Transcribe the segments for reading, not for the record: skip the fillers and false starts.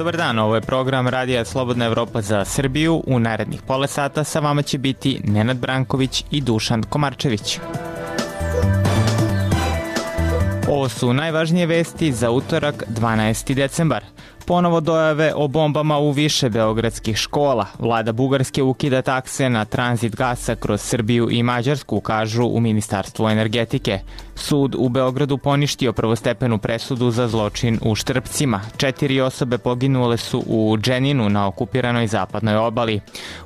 dobar dan, ovo je program Radija Slobodna Evropa za Srbiju. U narednih pola sata sa vama će biti Nenad Branković i Dušan Komarčević. Ovo su najvažnije vesti za utorak 12. decembar. Ponovo dojave o bombama u više beogradskih škola. Vlada Bugarske ukida takse na tranzit gasa kroz Srbiju i Mađarsku, kažu u Ministarstvu energetike. Sud u Beogradu poništio prvostepenu presudu za zločin u Štrpcima. 4 osobe poginule su u Dženinu na okupiranoj zapadnoj obali.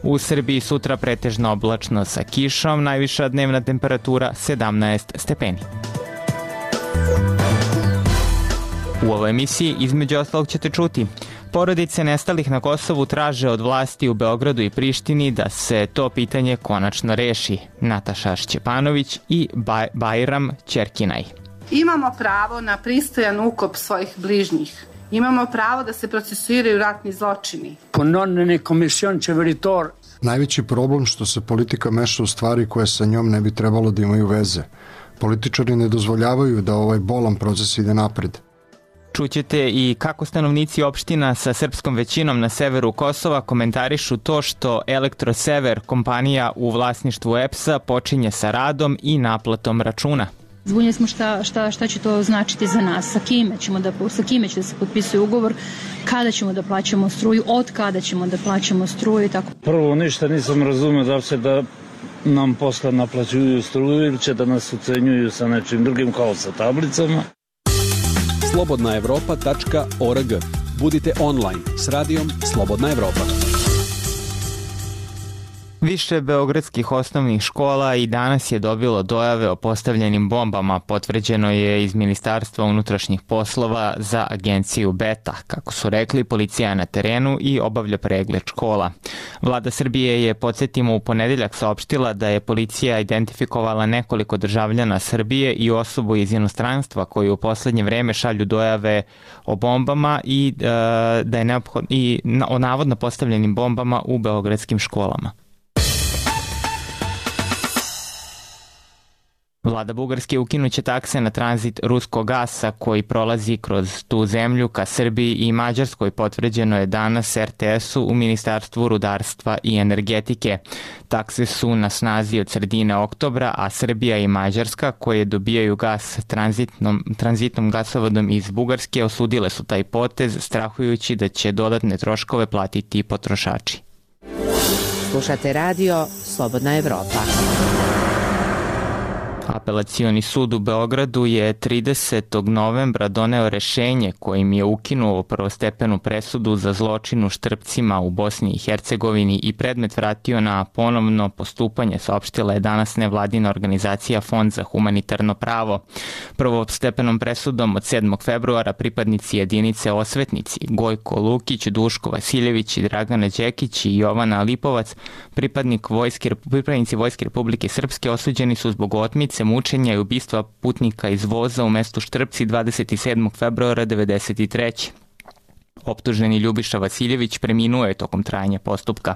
U Srbiji sutra pretežno oblačno sa kišom, najviša dnevna temperatura 17 stepeni. U ovoj emisiji između ostalog ćete čuti: porodice nestalih na Kosovu traže od vlasti u Beogradu i Prištini da se to pitanje konačno reši. Nataša Šćepanović i Bajram Ćerkinaj. Imamo pravo na pristojan ukop svojih bližnjih. Imamo pravo da se procesuiraju ratni zločini. Najveći problem što se politika meša u stvari koje sa njom ne bi trebalo da imaju veze. Političari ne dozvoljavaju da ovaj bolan proces ide napred. Čućete i kako stanovnici opština sa srpskom većinom na severu Kosova komentarišu to što Elektrosever, kompanija u vlasništvu EPS-a, počinje sa radom i naplatom računa. Zbunjeni smo šta će to značiti za nas, sa kime će da se potpisuje ugovor, kada ćemo da plaćamo struju, od kada ćemo da plaćamo struju i tako. Prvo ništa nisam razumio da se da nam posle naplaćuju struju ili će da nas ucenjuju sa nečim drugim kao sa tablicama. slobodnaevropa.org. Budite online s radijom Slobodna Evropa. Više beogradskih osnovnih škola i danas je dobilo dojave o postavljenim bombama, potvrđeno je iz Ministarstva unutrašnjih poslova za agenciju Beta. Kako su rekli, policija je na terenu i obavlja pregled škola. Vlada Srbije je, podsjetimo, u ponedeljak saopštila da je policija identifikovala nekoliko državljana Srbije i osobu iz inostranstva koji u poslednje vreme šalju dojave o bombama i da je o navodno postavljenim bombama u beogradskim školama. Vlada Bugarske ukinuće takse na tranzit ruskog gasa koji prolazi kroz tu zemlju ka Srbiji i Mađarskoj, potvrđeno je danas RTS-u u Ministarstvu rudarstva i energetike. Takse su na snazi od sredine oktobra, a Srbija i Mađarska, koje dobijaju gas tranzitnom gasovodom iz Bugarske, osudile su taj potez, strahujući da će dodatne troškove platiti potrošači. Slušate radio Slobodna Evropa. Apelacioni sud u Beogradu je 30. novembra doneo rešenje kojim je ukinuo prvostepenu presudu za zločin u Štrpcima u Bosni i Hercegovini i predmet vratio na ponovno postupanje, saopštila je danas nevladina organizacija Fond za humanitarno pravo. Prvostepenom presudom od 7. februara pripadnici jedinice Osvetnici Gojko Lukić, Duško Vasiljević i Dragana Đekić i Jovana Lipovac, pripadnici Vojske Republike Srpske, osuđeni su zbog otmice, mučenja i ubistva putnika iz voza u mestu Štrpci 27. februara 1993. Optuženi Ljubiša Vasiljević preminuo je tokom trajanja postupka.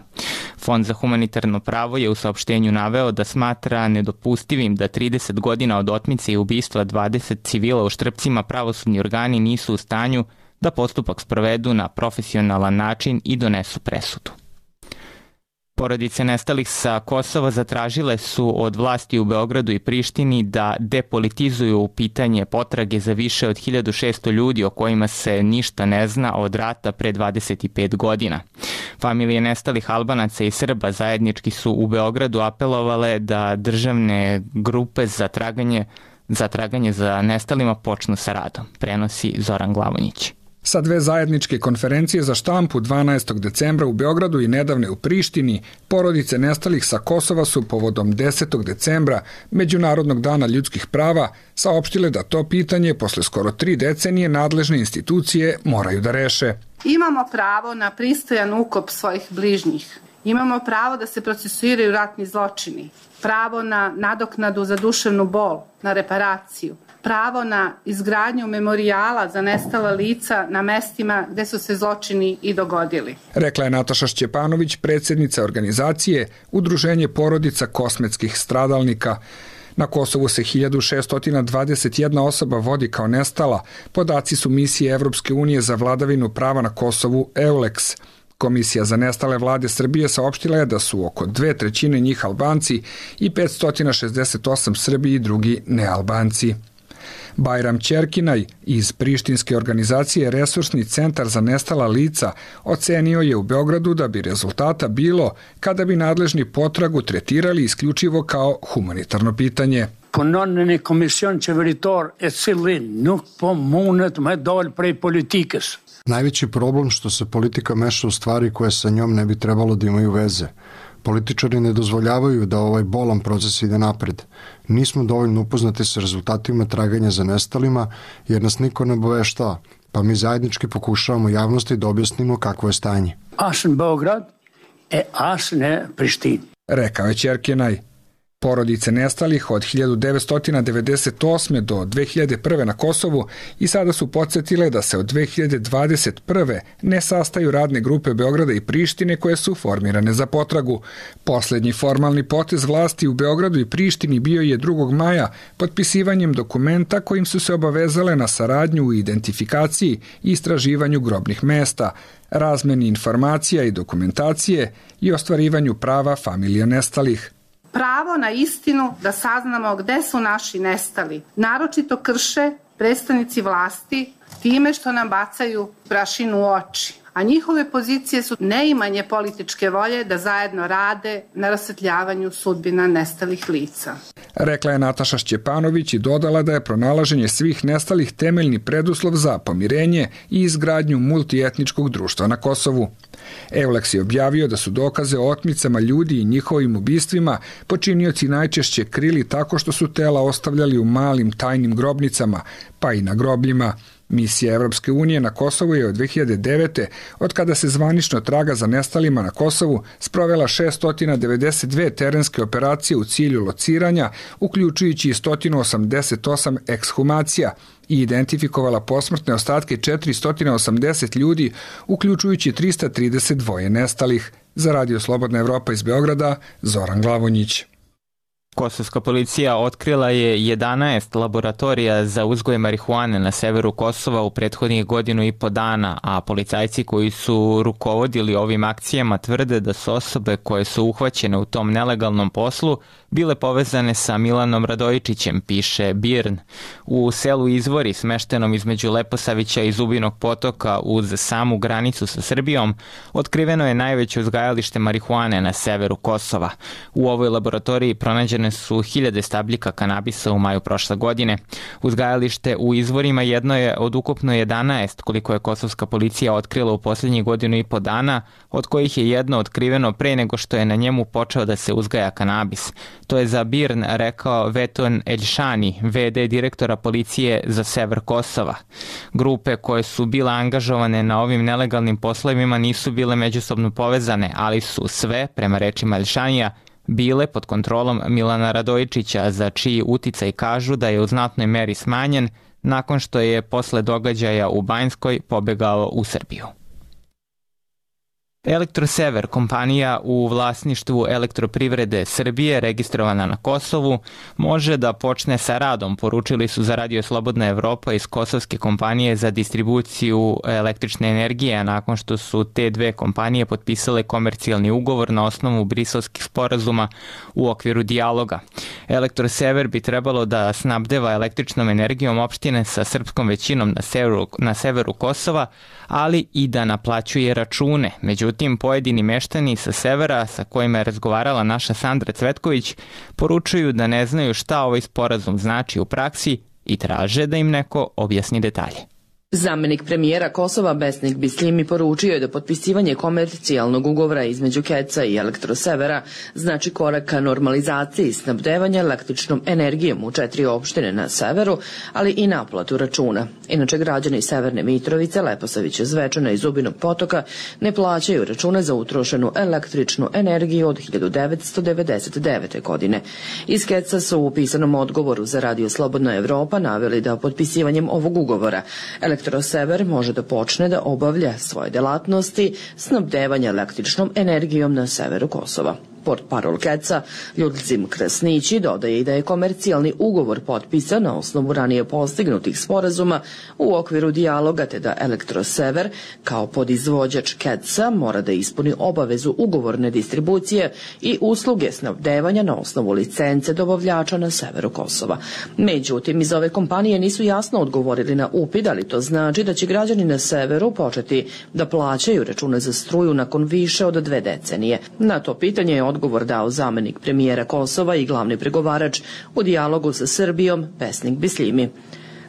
Fond za humanitarno pravo je u saopštenju naveo da smatra nedopustivim da 30 godina od otmice i ubistva 20 civila u Štrpcima pravosudni organi nisu u stanju da postupak sprovedu na profesionalan način i donesu presudu. Porodice nestalih sa Kosova zatražile su od vlasti u Beogradu i Prištini da depolitizuju pitanje potrage za više od 1600 ljudi o kojima se ništa ne zna od rata pre 25 godina. Familije nestalih Albanaca i Srba zajednički su u Beogradu apelovale da državne grupe za traganje za nestalima počnu sa radom, prenosi Zoran Glavonjić. Sa dve zajedničke konferencije za štampu 12. decembra u Beogradu i nedavne u Prištini, porodice nestalih sa Kosova su povodom 10. decembra, Međunarodnog dana ljudskih prava, saopštile da to pitanje posle skoro 3 decenije nadležne institucije moraju da reše. Imamo pravo na pristojan ukop svojih bližnjih. Imamo pravo da se procesuiraju ratni zločini. Pravo na nadoknadu za duševnu bol, na reparaciju. Pravo na izgradnju memorijala za nestala lica na mestima gde su se zločini i dogodili. Rekla je Nataša Šćepanović, predsjednica organizacije Udruženje porodica kosmetskih stradalnika. Na Kosovu se 1621 osoba vodi kao nestala. Podaci su misije Evropske unije za vladavinu prava na Kosovu EULEX. Komisija za nestale vlade Srbije saopštila je da su oko 2/3 njih Albanci i 568 Srbi i drugi nealbanci. Bajram Ćerkinaj iz prištinske organizacije Resursni centar za nestala lica ocenio je u Beogradu da bi rezultata bilo kada bi nadležni potragu tretirali isključivo kao humanitarno pitanje. Punon në komision qeveritar e cili nuk po mundet me dal prej politikës. Najveći problem što se politika meša u stvari koje sa njom ne bi trebalo da imaju veze. Političari ne dozvoljavaju da ovaj bolan proces ide napred. Nismo dovoljno upoznati sa rezultatima traganja za nestalima jer nas niko ne obaveštava, pa mi zajednički pokušavamo javnosti da objasnimo kakvo je stanje. As në Beograd as në Prishtinë. Rekao je Ćerkinaj. Porodice nestalih od 1998. do 2001. na Kosovu i sada su podsjetile da se od 2021. ne sastaju radne grupe Beograda i Prištine koje su formirane za potragu. Poslednji formalni potez vlasti u Beogradu i Prištini bio je 2. maja potpisivanjem dokumenta kojim su se obavezale na saradnju u identifikaciji i istraživanju grobnih mesta, razmeni informacija i dokumentacije i ostvarivanju prava familija nestalih. Pravo na istinu da saznamo gde su naši nestali, naročito krše predstavnici vlasti time što nam bacaju prašinu u oči, a njihove pozicije su neimanje političke volje da zajedno rade na rasvetljavanju sudbina nestalih lica. Rekla je Nataša Šćepanović i dodala da je pronalaženje svih nestalih temeljni preduslov za pomirenje i izgradnju multietničkog društva na Kosovu. EULEX je objavio da su dokaze o otmicama ljudi i njihovim ubistvima počinioci najčešće krili tako što su tela ostavljali u malim tajnim grobnicama, pa i na grobljima. Misija Evropske unije na Kosovu je od 2009. od kada se zvanično traga za nestalima na Kosovu sprovela 692 terenske operacije u cilju lociranja, uključujući i 188 ekshumacija i identifikovala posmrtne ostatke 480 ljudi, uključujući 332 nestalih. Za Radio Slobodna Evropa iz Beograda, Zoran Glavonjić. Kosovska policija otkrila je 11 laboratorija za uzgoj marihuane na severu Kosova u prethodnih 1,5 dana, a policajci koji su rukovodili ovim akcijama tvrde da su osobe koje su uhvaćene u tom nelegalnom poslu bile povezane sa Milanom Radojičićem, piše BIRN. U selu Izvori, smeštenom između Leposavića i Zubinog potoka uz samu granicu sa Srbijom, otkriveno je najveće uzgajalište marihuane na severu Kosova. U ovoj laboratoriji pronađene su 1000 stabljika kanabisa u maju prošle godine. Uzgajalište u Izvorima jedno je od ukupno 11 koliko je kosovska policija otkrila u posljednjih 1,5 dana, od kojih je jedno otkriveno pre nego što je na njemu počeo da se uzgaja kanabis. To je za BIRN rekao Veton Eljšani, VD direktora policije za sever Kosova. Grupe koje su bile angažovane na ovim nelegalnim poslovima nisu bile međusobno povezane, ali su sve, prema rečima Eljšanija, bile pod kontrolom Milana Radojičića, za čiji uticaj kažu da je u znatnoj meri smanjen nakon što je posle događaja u Banjskoj pobegao u Srbiju. Elektrosever, kompanija u vlasništvu Elektroprivrede Srbije registrovana na Kosovu, može da počne sa radom, poručili su za Radio Slobodna Evropa iz kosovske kompanije za distribuciju električne energije, nakon što su te dve kompanije potpisale komercijalni ugovor na osnovu briselskih sporazuma u okviru dijaloga. Elektrosever bi trebalo da snabdeva električnom energijom opštine sa srpskom većinom na severu Kosova, ali i da naplaćuje račune. Međutim, pojedini meštani sa severa sa kojima je razgovarala naša Sandra Cvetković poručuju da ne znaju šta ovaj sporazum znači u praksi i traže da im neko objasni detalje. Zamenik premijera Kosova Besnik Bislimi poručio je da potpisivanje komercijalnog ugovora između KEC-a i Elektrosevera znači korak ka normalizaciji snabdevanja električnom energijom u 4 opštine na severu, ali i naplatu računa. Inače, građani Severne Mitrovice, Leposavića, Zvečana i Zubinog potoka ne plaćaju račune za utrošenu električnu energiju od 1999. godine. Iz KEC-a su u pisanom odgovoru za Radio Slobodna Evropa naveli da potpisivanjem ovog ugovora Elektrosever može da počne da obavlja svoje delatnosti snabdevanja električnom energijom na severu Kosova. Portparol Keca Ljudcim Krasnići dodaje i da je komercijalni ugovor potpisan na osnovu ranije postignutih sporazuma u okviru dijaloga, te da Elektrosever kao podizvođač Keca mora da ispuni obavezu ugovorne distribucije i usluge snabdevanja na osnovu licence dobavljača na severu Kosova. Međutim, iz ove kompanije nisu jasno odgovorili na upit, ali to znači da će građani na severu početi da plaćaju račune za struju nakon više od 2 decenije. Na to pitanje je odgovor dao zamenik premijera Kosova i glavni pregovarač u dijalogu sa Srbijom, Besnik Bislimi.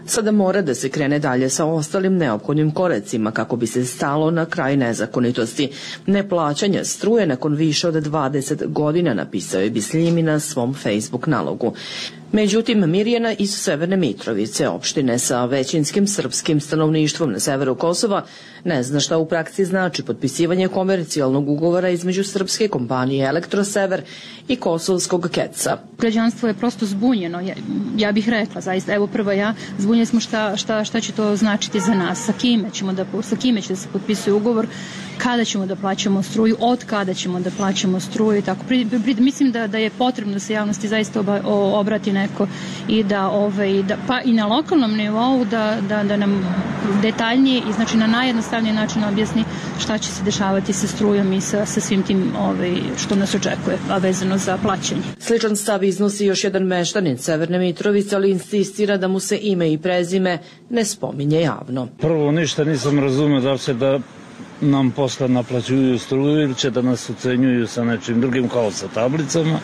Sada mora da se krene dalje sa ostalim neophodnim koracima kako bi se stalo na kraj nezakonitosti. Neplaćanja struje nakon više od 20 godina, napisao je Bislimi na svom Facebook nalogu. Međutim, Mirjana iz Severne Mitrovice, opštine sa većinskim srpskim stanovništvom na severu Kosova, ne zna šta u praksi znači potpisivanje komercijalnog ugovora između srpske kompanije Elektrosever i kosovskog Keca. Građanstvo je prosto zbunjeno, ja bih rekla, zaista, evo prva ja, zbunjeni smo šta će to značiti za nas, sa kime će da se potpisuje ugovor, kada ćemo da plaćamo struju, od kada ćemo da plaćamo struju i tako. Mislim da je potrebno da se javnosti zaista obrati neko i pa i na lokalnom nivou da nam detaljnije i znači na najjednostavniji način objasni šta će se dešavati sa strujom i sa svim tim što nas očekuje, a vezano za plaćanje. Sličan stav iznosi još jedan meštanin Severne Mitrovice, ali insistira da mu se ime i prezime ne spominje javno. Prvo, ništa nisam razumio da se da nam posle naplaćuju struju ili će da nas ucenjuju sa nečim drugim kao sa tablicama,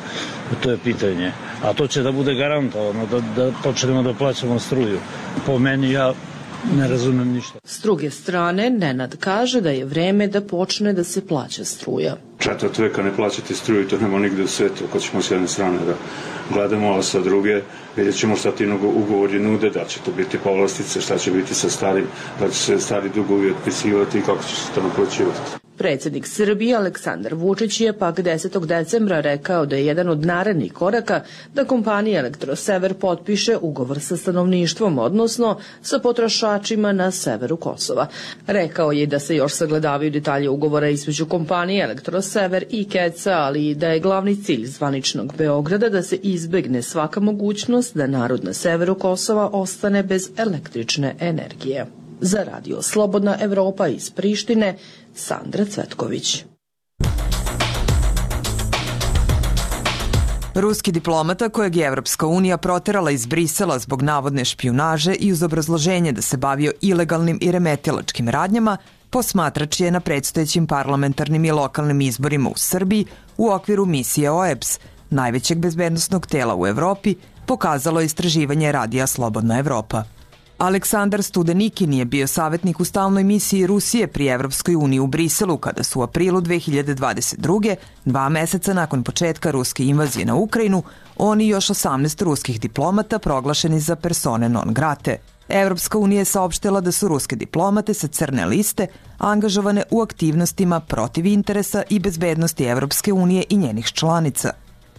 to je pitanje. A to će da bude garantovano, da počnemo da plaćamo struju. Po meni ja ne razumem ništa. S druge strane, Nenad kaže da je vreme da počne da se plaća struja. 4 veka ne plaćati struju, to nema nigde u svetu. Ako ćemo s jedne strane da gledamo, a sa druge vidjet ćemo šta ti ugovori nude, da će to biti povlastice, šta će biti sa starim, da će se stari dugovi otpisivati i kako će se to naplaćivati. Predsjednik Srbije Aleksandar Vučić je pak 10. decembra rekao da je jedan od narednih koraka da kompanija Elektrosever potpiše ugovor sa stanovništvom, odnosno sa potrošačima na severu Kosova. Rekao je da se još sagledavaju detalje ugovora između kompanije Elektrosever i Keca, ali i da je glavni cilj zvaničnog Beograda da se izbegne svaka mogućnost da narod na severu Kosova ostane bez električne energije. Za Radio Slobodna Evropa iz Prištine, Sandra Cvetković. Ruski diplomata kojeg je Evropska unija proterala iz Brisela zbog navodne špijunaže i uz obrazloženje da se bavio ilegalnim i remetilačkim radnjama, posmatrač je na predstojećim parlamentarnim i lokalnim izborima u Srbiji u okviru misije OEBS, najvećeg bezbednosnog tela u Evropi, pokazalo istraživanje Radija Slobodna Evropa. Aleksandar Studenikin je bio savjetnik u stalnoj misiji Rusije pri Evropskoj uniji u Briselu kada su u aprilu 2022. 2 meseca nakon početka ruske invazije na Ukrajinu, on i još 18 ruskih diplomata proglašeni za persone non grate. Evropska unija je saopštila da su ruske diplomate sa crne liste angažovane u aktivnostima protiv interesa i bezbednosti Evropske unije i njenih članica.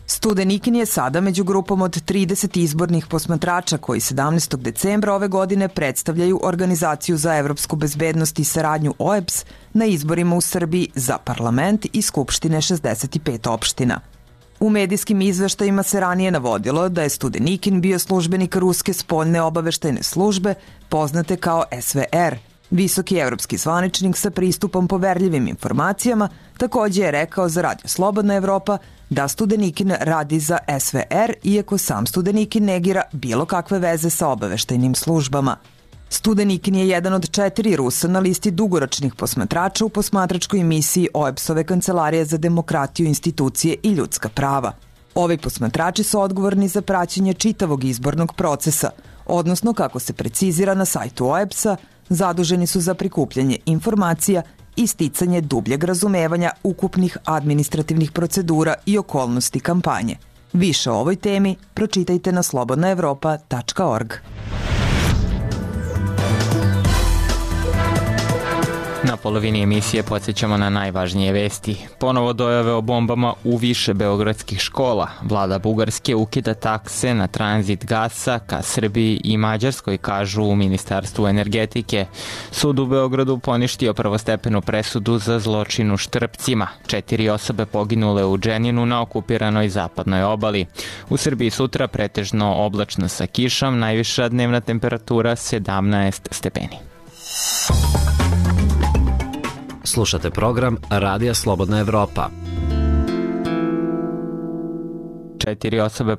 Studenikin je sada među grupom od 30 izbornih posmatrača koji 17. decembra ove godine predstavljaju Organizaciju za evropsku bezbednost i saradnju OEBS na izborima u Srbiji za parlament i skupštine 65 opština. U medijskim izveštajima se ranije navodilo da je Studenikin bio službenik Ruske spoljne obaveštajne službe, poznate kao SVR. Visoki evropski zvaničnik sa pristupom poverljivim informacijama također je rekao za Radio Slobodna Evropa da Studenikin radi za SVR, iako sam Studenikin negira bilo kakve veze sa obaveštajnim službama. Studenikin je jedan od 4 Rusa na listi dugoročnih posmatrača u posmatračkoj misiji OEBS-ove Kancelarije za demokratiju, institucije i ljudska prava. Ovi posmatrači su odgovorni za praćenje čitavog izbornog procesa, odnosno, kako se precizira na sajtu OEBS-a, zaduženi su za prikupljanje informacija i sticanje dubljeg razumevanja ukupnih administrativnih procedura i okolnosti kampanje. Više o ovoj temi pročitajte na slobodnaevropa.org. Na polovini emisije podsjećamo na najvažnije vesti. Ponovo dojave o bombama u više beogradskih škola. Vlada Bugarske ukida takse na tranzit gasa ka Srbiji i Mađarskoj, kažu u Ministarstvu energetike. Sud u Beogradu poništio prvostepenu presudu za zločin u Štrpcima. 4 osobe poginule u Dženinu na okupiranoj zapadnoj obali. U Srbiji sutra pretežno oblačno sa kišom, najviša dnevna temperatura 17 stepeni. Slušate program Radija Slobodna Evropa. 4 osobe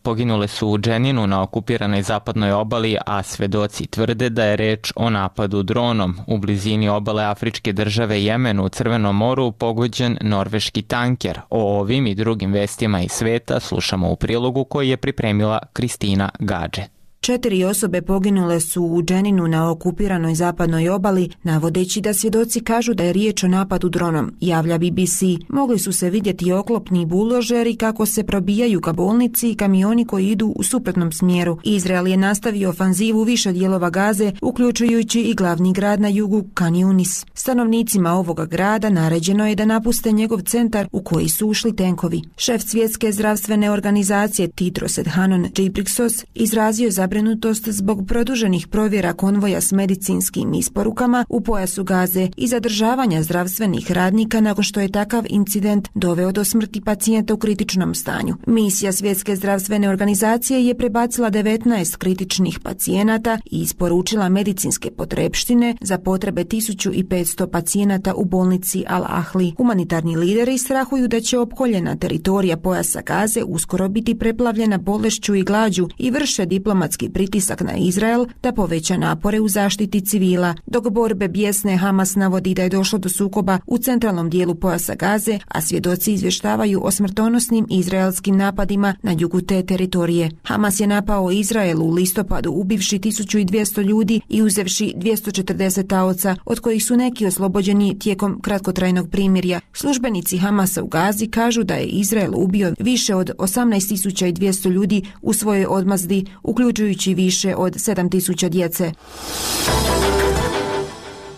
poginule su u Dženinu na okupiranoj zapadnoj obali, a svedoci tvrde da je reč o napadu dronom. U blizini obale afričke države Jemenu u Crvenom moru pogođen norveški tanker. O ovim i drugim vestima iz sveta slušamo u prilogu koji je pripremila Kristina Gadže. 4 osobe poginule su u Dženinu na okupiranoj zapadnoj obali, navodeći da svjedoci kažu da je riječ o napadu dronom, javlja BBC. Mogli su se vidjeti oklopni buldožeri kako se probijaju ka bolnici i kamioni koji idu u suprotnom smjeru. Izrael je nastavio ofanzivu više dijelova Gaze, uključujući i glavni grad na jugu Khan Yunis. Stanovnicima ovoga grada naređeno je da napuste njegov centar u koji su ušli tenkovi. Šef svjetske zdravstvene organizacije Tedros Adhanom Ghebreyesus izrazio zabrinutost zbog produženih provjera konvoja s medicinskim isporukama u pojasu Gaze i zadržavanja zdravstvenih radnika nakon što je takav incident doveo do smrti pacijenta u kritičnom stanju. Misija Svjetske zdravstvene organizacije je prebacila 19 kritičnih pacijenata i isporučila medicinske potrepštine za potrebe 1500 pacijenata u bolnici Al-Ahli. Humanitarni lideri strahuju da će opkoljena teritorija pojasa Gaze uskoro biti preplavljena bolešću i glađu i vrše diplomatski pritisak na Izrael da poveća napore u zaštiti civila. Dok borbe bijesne, Hamas navodi da je došlo do sukoba u centralnom dijelu pojasa Gaze, a svjedoci izvještavaju o smrtonosnim izraelskim napadima na jugu te teritorije. Hamas je napao Izrael u listopadu ubivši 1200 ljudi i uzevši 240 taoca, od kojih su neki oslobođeni tijekom kratkotrajnog primirja. Službenici Hamasa u Gazi kažu da je Izrael ubio više od 18.200 ljudi u svojoj odmazdi, uključujući više od 7.000 djece.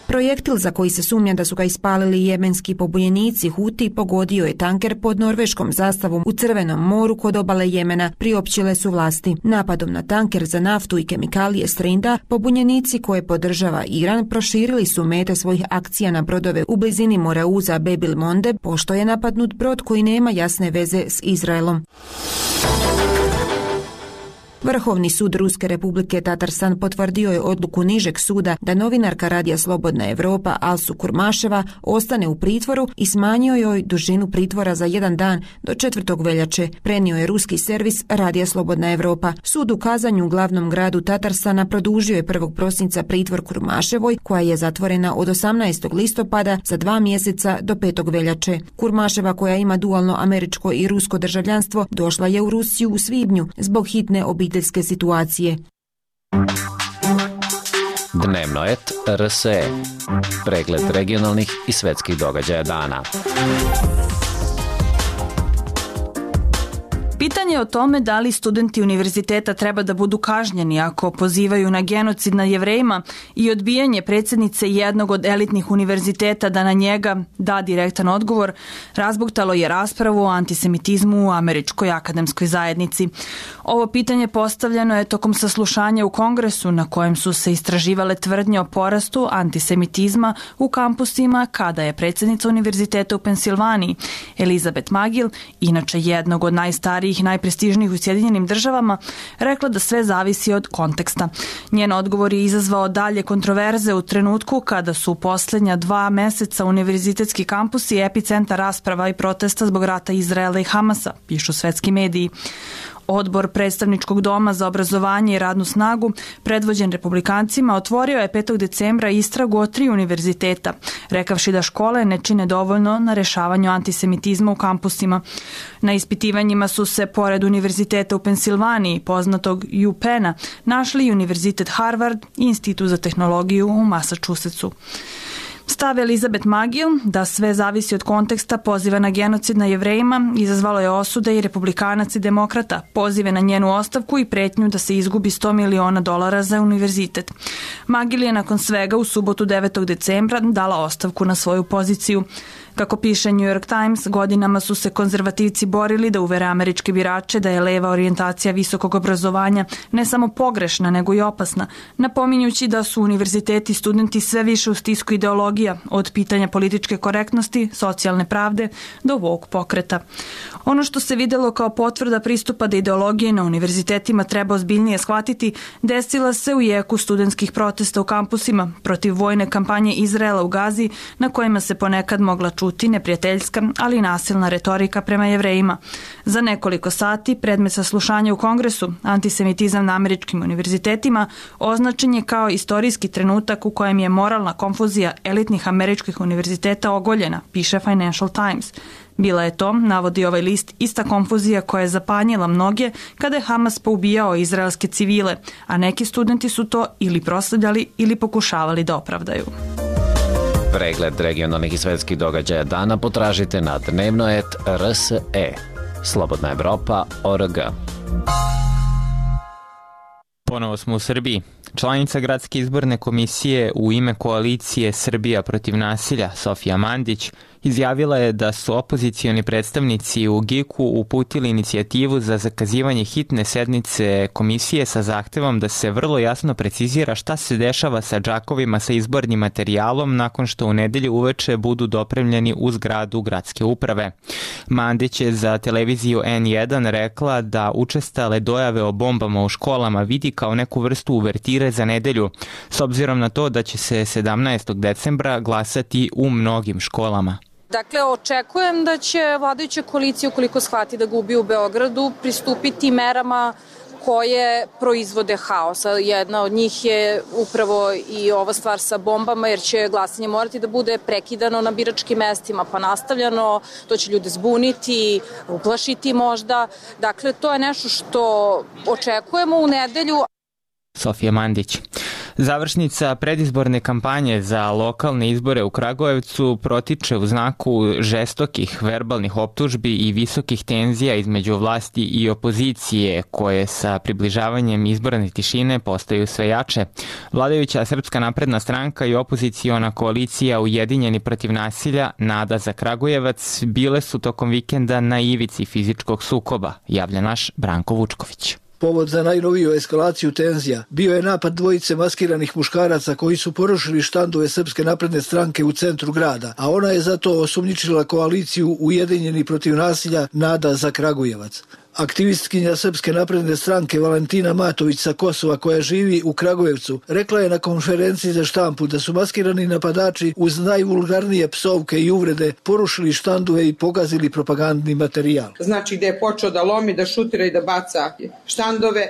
Projektil za koji se sumnja da su ga ispalili jemenski pobunjenici Huti pogodio je tanker pod norveškom zastavom u Crvenom moru kod obale Jemena, priopćile su vlasti. Napadom na tanker za naftu i kemikalije Strinda, pobunjenici koje podržava Iran proširili su mete svojih akcija na brodove u blizini Morauza Bebil Monde, pošto je napadnut brod koji nema jasne veze s Izraelom. Vrhovni sud Ruske republike Tatarstan potvrdio je odluku nižeg suda da novinarka Radija Slobodna Evropa Alsu Kurmaševa ostane u pritvoru i smanjio joj dužinu pritvora za 1 dan do 4. veljače, prenio je ruski servis Radija Slobodna Evropa. Sud u Kazanju, glavnom gradu Tatarstana, produžio je 1. prosinca pritvor Kurmaševoj, koja je zatvorena od 18. listopada za 2 mjeseca do 5. veljače. Kurmaševa, koja ima dualno američko i rusko državljanstvo, došla je u Rusiju u svibnju zbog hitne obiteljske situacije. Dnevnoet RSE. Pregled regionalnih i svetskih događaja dana. Pitanje je o tome da li studenti univerziteta treba da budu kažnjeni ako pozivaju na genocid nad Jevrejima i odbijanje predsjednice jednog od elitnih univerziteta da na njega da direktan odgovor, razbuktalo je raspravu o antisemitizmu u američkoj akademskoj zajednici. Ovo pitanje postavljeno je tokom saslušanja u Kongresu na kojem su se istraživale tvrdnje o porastu antisemitizma u kampusima kada je predsjednica univerziteta u Pensilvaniji, Elizabeth Magil, inače jednog od najstarijih i najprestižnijih u Sjedinjenim državama, rekla da sve zavisi od konteksta. Njen odgovor je izazvao dalje kontroverze u trenutku kada su u posljednja 2 meseca univerzitetski kampusi epicentar rasprava i protesta zbog rata Izraela i Hamasa, pišu svetski mediji. Odbor predstavničkog doma za obrazovanje i radnu snagu, predvođen republikancima, otvorio je 5. decembra istragu o 3 univerziteta, rekavši da škole ne čine dovoljno na rešavanju antisemitizma u kampusima. Na ispitivanjima su se, pored univerziteta u Pensilvaniji, poznatog UPenna, našli i univerzitet Harvard i Institut za tehnologiju u Massachusettsu. Stav Elizabeth Magil, da sve zavisi od konteksta poziva na genocid na Jevrejima, izazvalo je osude i republikanac i demokrata, pozive na njenu ostavku i pretnju da se izgubi $100 miliona za univerzitet. Magil je nakon svega u subotu 9. decembra dala ostavku na svoju poziciju. Kako piše New York Times, godinama su se konzervativci borili da uvere američke birače da je leva orijentacija visokog obrazovanja ne samo pogrešna, nego i opasna, napominjući da su univerziteti i studenti sve više u stisku ideologija, od pitanja političke korektnosti, socijalne pravde do woke pokreta. Ono što se videlo kao potvrda pristupa da ideologije na univerzitetima treba ozbiljnije shvatiti, desila se u jeku studentskih protesta u kampusima protiv vojne kampanje Izraela u Gazi, na kojima se ponekad mogla čuti neprijateljska, ali i nasilna retorika prema Jevrejima. Za nekoliko sati predmet saslušanja u Kongresu, antisemitizam na američkim univerzitetima, označen je kao istorijski trenutak u kojem je moralna konfuzija elitnih američkih univerziteta ogoljena, piše Financial Times. Bila je to, navodi ovaj list, ista konfuzija koja je zapanjila mnoge kada je Hamas poubijao izraelske civile, a neki studenti su to ili proslavljali ili pokušavali da opravdaju. Pregled regionalnih i svetskih događaja dana potražite na dnevnoet.rse. Slobodna Evropa.org. Ponovo smo u Srbiji. Članica Gradske izborne komisije u ime koalicije Srbija protiv nasilja, Sofija Mandić, izjavila je da su opozicioni predstavnici u GIK-u uputili inicijativu za zakazivanje hitne sednice komisije sa zahtevom da se vrlo jasno precizira šta se dešava sa džakovima sa izbornim materijalom nakon što u nedelju uveče budu dopremljeni u zgradu gradske uprave. Mandić je za televiziju N1 rekla da učestale dojave o bombama u školama vidi kao neku vrstu uvertire za nedelju, s obzirom na to da će se 17. decembra glasati u mnogim školama. Dakle, očekujem da će vladajuća koalicija, ukoliko shvati da gubi u Beogradu, pristupiti merama koje proizvode haos. Jedna od njih je upravo i ova stvar sa bombama, jer će glasanje morati da bude prekidano na biračkim mestima, pa nastavljano, to će ljude zbuniti, uplašiti možda. Dakle, to je nešto što očekujemo u nedelju. Sofija Mandić. Završnica predizborne kampanje za lokalne izbore u Kragujevcu protiče u znaku žestokih verbalnih optužbi i visokih tenzija između vlasti i opozicije, koje sa približavanjem izborne tišine postaju sve jače. Vladajuća Srpska napredna stranka i opoziciona koalicija Ujedinjeni protiv nasilja, Nada za Kragujevac, bile su tokom vikenda na ivici fizičkog sukoba, javlja naš Branko Vučković. Povod za najnoviju eskalaciju tenzija bio je napad dvojice maskiranih muškaraca koji su porušili štandove Srpske napredne stranke u centru grada, a ona je zato osumnjičila koaliciju Ujedinjeni protiv nasilja Nada za Kragujevac. Aktivistkinja Srpske napredne stranke Valentina Matović sa Kosova, koja živi u Kragujevcu, rekla je na konferenciji za štampu da su maskirani napadači uz najvulgarnije psovke i uvrede porušili štandove i pogazili propagandni materijal. Znači da je počeo da lomi, da šutira i da baca štandove,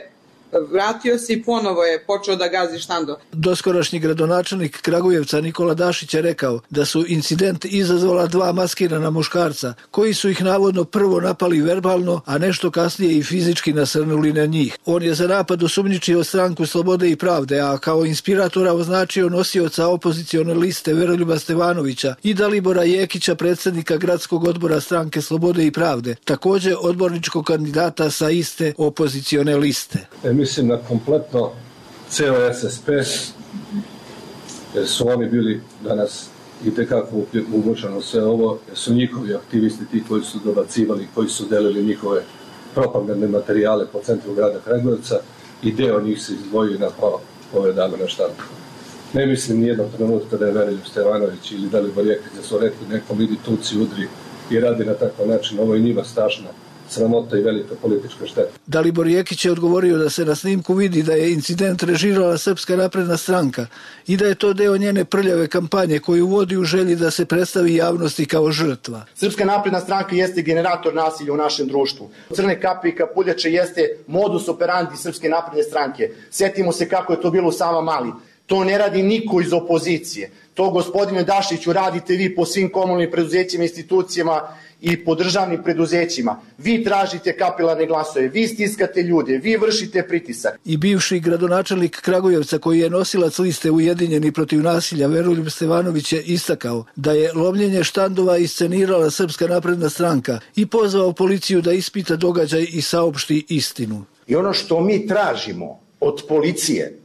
vratio se i ponovo je počeo da gazi štandove. Doskorašnji gradonačelnik Kragujevca Nikola Dašić je rekao da su incident izazvala dva maskirana muškarca, koji su ih navodno prvo napali verbalno, a nešto kasnije i fizički nasrnuli na njih. On je za napad osumnjičio stranku Slobode i pravde, a kao inspiratora označio nosioca opozicione liste Veroljuba Stevanovića i Dalibora Jekića, predsjednika gradskog odbora stranke Slobode i pravde, također odborničkog kandidata sa iste opozicione liste. Mislim na kompletno ceo SSP, jer su oni bili danas i tekako umočano sve ovo, jer su njihovi aktivisti ti koji su dobacivali, koji su delili njihove propagandne materijale po centru grada Kragujevca i deo njih se izdvojio na ove dame na štampu. Ne mislim nijednog trenutka da je Veroljub Stevanović ili Dalibor Jekić da su rekli nekom idi tuci, udri i radi na takav način. Ovo je njima strašna sramota i velika politička šteta. Dalibor Jekić je odgovorio da se na snimku vidi da je incident režirala Srpska napredna stranka i da je to deo njene prljave kampanje koju vodi u želji da se predstavi javnosti kao žrtva. Srpska napredna stranka jeste generator nasilja u našem društvu. Crne kape i kapuljače jeste modus operandi Srpske napredne stranke. Setimo se kako je to bilo u Savamali. To ne radi niko iz opozicije. To, gospodine Dašiću, radite vi po svim komunalnim preduzećima, institucijama i po državnim preduzećima. Vi tražite kapilarne glasove, vi stiskate ljude, vi vršite pritisak. I bivši gradonačelnik Kragujevca, koji je nosilac liste Ujedinjeni protiv nasilja, Veroljub Stevanović, je istakao da je lomljenje štandova iscenirala Srpska napredna stranka i pozvao policiju da ispita događaj i saopšti istinu. I ono što mi tražimo od policije,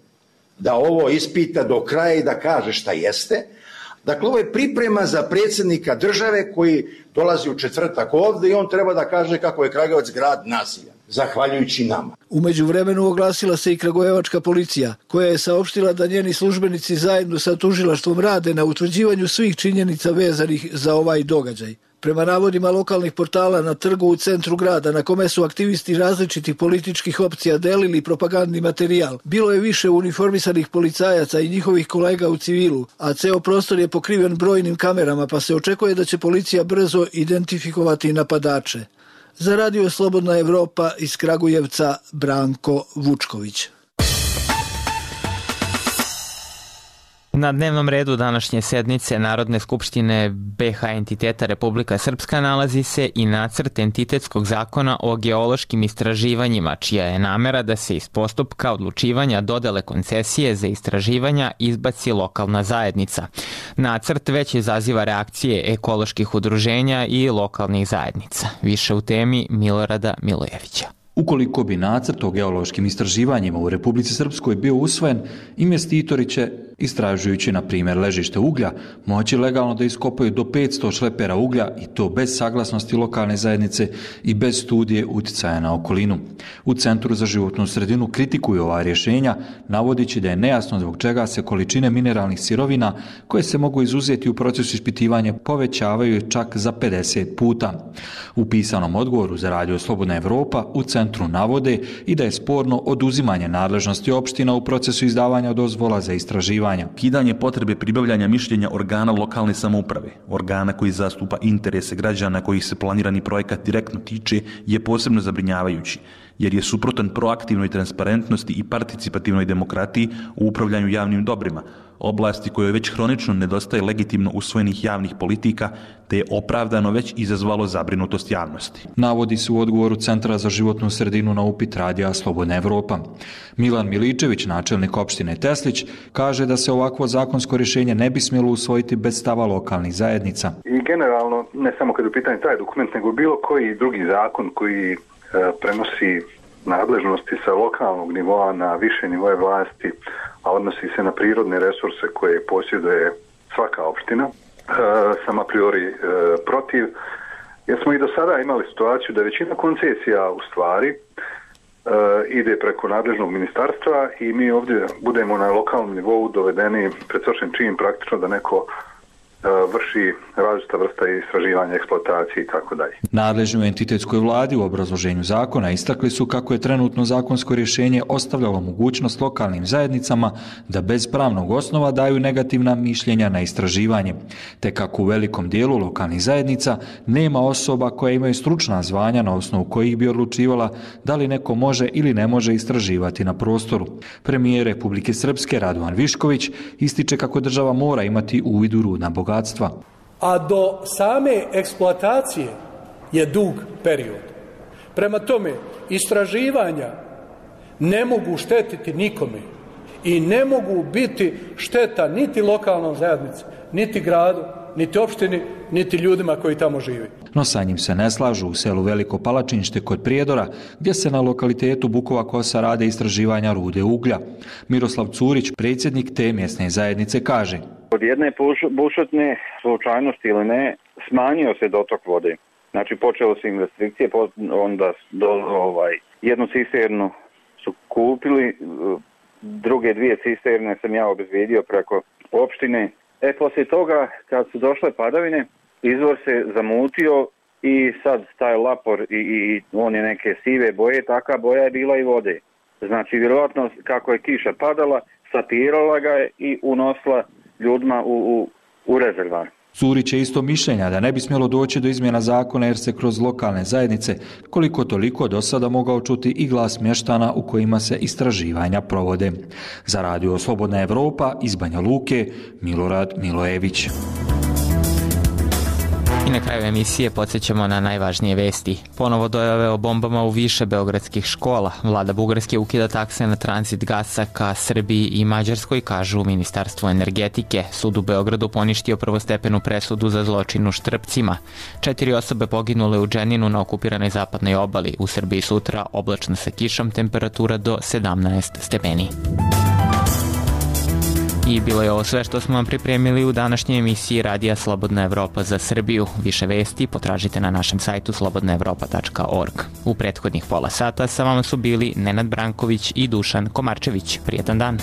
da ovo ispita do kraja i da kaže šta jeste. Dakle, ovo je priprema za predsjednika države koji dolazi u četvrtak ovde i on treba da kaže kako je Kragujevac grad nasilja, zahvaljujući nama. U međuvremenu oglasila se i kragujevačka policija, koja je saopštila da njeni službenici zajedno sa tužilaštvom rade na utvrđivanju svih činjenica vezanih za ovaj događaj. Prema navodima lokalnih portala, na trgu u centru grada, na kome su aktivisti različitih političkih opcija delili propagandni materijal, bilo je više uniformisanih policajaca i njihovih kolega u civilu, a ceo prostor je pokriven brojnim kamerama, pa se očekuje da će policija brzo identifikovati napadače. Za Radio Slobodna Evropa iz Kragujevca, Branko Vučković. Na dnevnom redu današnje sednice Narodne skupštine BH entiteta Republika Srpska nalazi se i nacrt entitetskog zakona o geološkim istraživanjima, čija je namera da se iz postupka odlučivanja dodele koncesije za istraživanja izbaci lokalna zajednica. Nacrt već izaziva reakcije ekoloških udruženja i lokalnih zajednica. Više u temi Milorada Milojevića. Ukoliko bi nacrt o geološkim istraživanjima u Republici Srpskoj bio usvojen, investitori će, istražujući na primjer ležište uglja, moći legalno da iskopaju do 500 šlepera uglja i to bez saglasnosti lokalne zajednice i bez studije uticaja na okolinu. U Centru za životnu sredinu kritikuju ova rješenja, navodići da je nejasno zbog čega se količine mineralnih sirovina koje se mogu izuzeti u procesu ispitivanja povećavaju čak za 50 puta. U pisanom odgovoru za Radio Slobodna Evropa u Centru navode i da je sporno oduzimanje nadležnosti opština u procesu izdavanja dozvola za istraživanja. Ukidanje potrebe pribavljanja mišljenja organa lokalne samouprave, organa koji zastupa interese građana kojih se planirani projekat direktno tiče, je posebno zabrinjavajući, jer je suprotan proaktivnoj transparentnosti i participativnoj demokratiji u upravljanju javnim dobrima, oblasti kojoj već hronično nedostaje legitimno usvojenih javnih politika, te je opravdano već izazvalo zabrinutost javnosti. Navodi se u odgovoru Centra za životnu sredinu na upit Radija Slobodna Evropa. Milan Miličević, načelnik opštine Teslić, kaže da se ovakvo zakonsko rješenje ne bi smjelo usvojiti bez stava lokalnih zajednica. I generalno, ne samo kad je u pitanju taj dokument, nego bilo koji drugi zakon koji prenosi nadležnosti sa lokalnog nivoa na više nivoje vlasti, a odnosi se na prirodne resurse koje posjeduje svaka opština, sam a priori protiv, jer smo i do sada imali situaciju da većina koncesija u stvari ide preko nadležnog ministarstva i mi ovdje budemo na lokalnom nivou dovedeni pred svršen čin praktično da neko vrši različita vrsta istraživanja, eksploatacije i tako dalje. Nadležni u entitetskoj vladi u obrazloženju zakona istakli su kako je trenutno zakonsko rješenje ostavljalo mogućnost lokalnim zajednicama da bez pravnog osnova daju negativna mišljenja na istraživanje, te kako u velikom dijelu lokalnih zajednica nema osoba koje imaju stručna zvanja na osnovu kojih bi odlučivala da li neko može ili ne može istraživati na prostoru. Premijer Republike Srpske Radovan Višković ističe kako država mora imati uvid u rudna bogatstva. A do same eksploatacije je dug period. Prema tome, istraživanja ne mogu štetiti nikome i ne mogu biti šteta niti lokalnom zajednici, niti gradu, niti opštini, niti ljudima koji tamo žive. No sa njim se ne slažu u selu Veliko Palačinšte kod Prijedora, gdje se na lokalitetu Bukova Kosa rade istraživanja rude uglja. Miroslav Curić, predsjednik te mjesne zajednice, kaže: Od jedne bušotne slučajnosti ili ne, smanjio se dotok vode. Znači počelo se investicije, onda jednu cisternu su kupili, druge dvije cisterne sam ja obezbijedio preko opštine. Poslije toga, kad su došle padavine, izvor se zamutio i sad taj lapor i on je neke sive boje, taka boja je bila i vode. Znači, vjerojatno kako je kiša padala, satirala ga je i unosila ljudima u rezervar. Curić je isto mišljenja da ne bi smjelo doći do izmjena zakona jer se kroz lokalne zajednice koliko toliko do sada mogao čuti i glas mještana u kojima se istraživanja provode. Za Radio Slobodna Evropa iz Banja Luke, Milorad Milojević. I na kraju emisije podsjećamo na najvažnije vesti. Ponovo dojave o bombama u više beogradskih škola. Vlada Bugarske ukida takse na tranzit gasa ka Srbiji i Mađarskoj, kažu u Ministarstvu energetike. Sud u Beogradu poništio prvostepenu presudu za zločin u Štrpcima. 4 osobe poginule u Dženinu na okupiranoj zapadnoj obali. U Srbiji sutra oblačno sa kišom, temperatura do 17 stepeni. I bilo je ovo sve što smo vam pripremili u današnjoj emisiji Radija Slobodna Evropa za Srbiju. Više vesti potražite na našem sajtu slobodnaevropa.org. U prethodnih pola sata sa vama su bili Nenad Branković i Dušan Komarčević. Prijetan dan!